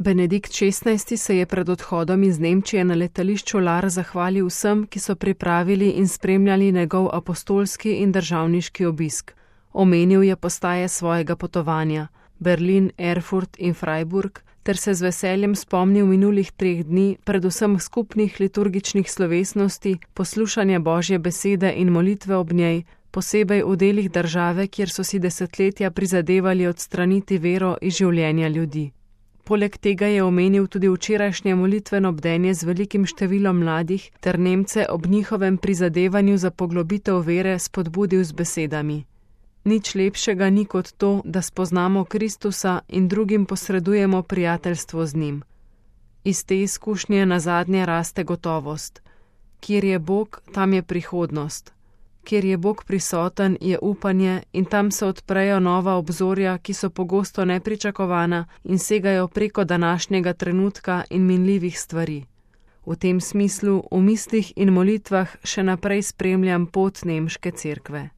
Benedikt XVI. Se je pred odhodom iz Nemčije na letališču Lar zahvalil vsem, ki so pripravili in spremljali njegov apostolski in državniški obisk. Omenil je postaje svojega potovanja, Berlin, Erfurt in Freiburg, ter se z veseljem spomnil minulih 3 dni, predvsem skupnih liturgičnih slovesnosti, poslušanja Božje besede in molitve ob njej, posebej v delih države, kjer so si desetletja prizadevali odstraniti vero iz življenja ljudi. Poleg tega je omenil tudi včerajšnje molitveno bdenje z velikim številom mladih ter Nemce ob njihovem prizadevanju za poglobitev vere spodbudil z besedami: Nič lepšega ni kot to, da spoznamo Kristusa in drugim posredujemo prijateljstvo z njim. Iz te izkušnje nazadnje raste gotovost. Kjer je Bog, tam je prihodnost. Kjer je Bog prisoten, je upanje in tam se odprejo nova obzorja, ki so pogosto nepričakovana in segajo preko današnjega trenutka in minljivih stvari. V tem smislu v mislih in molitvah še naprej spremljam pot nemške cerkve.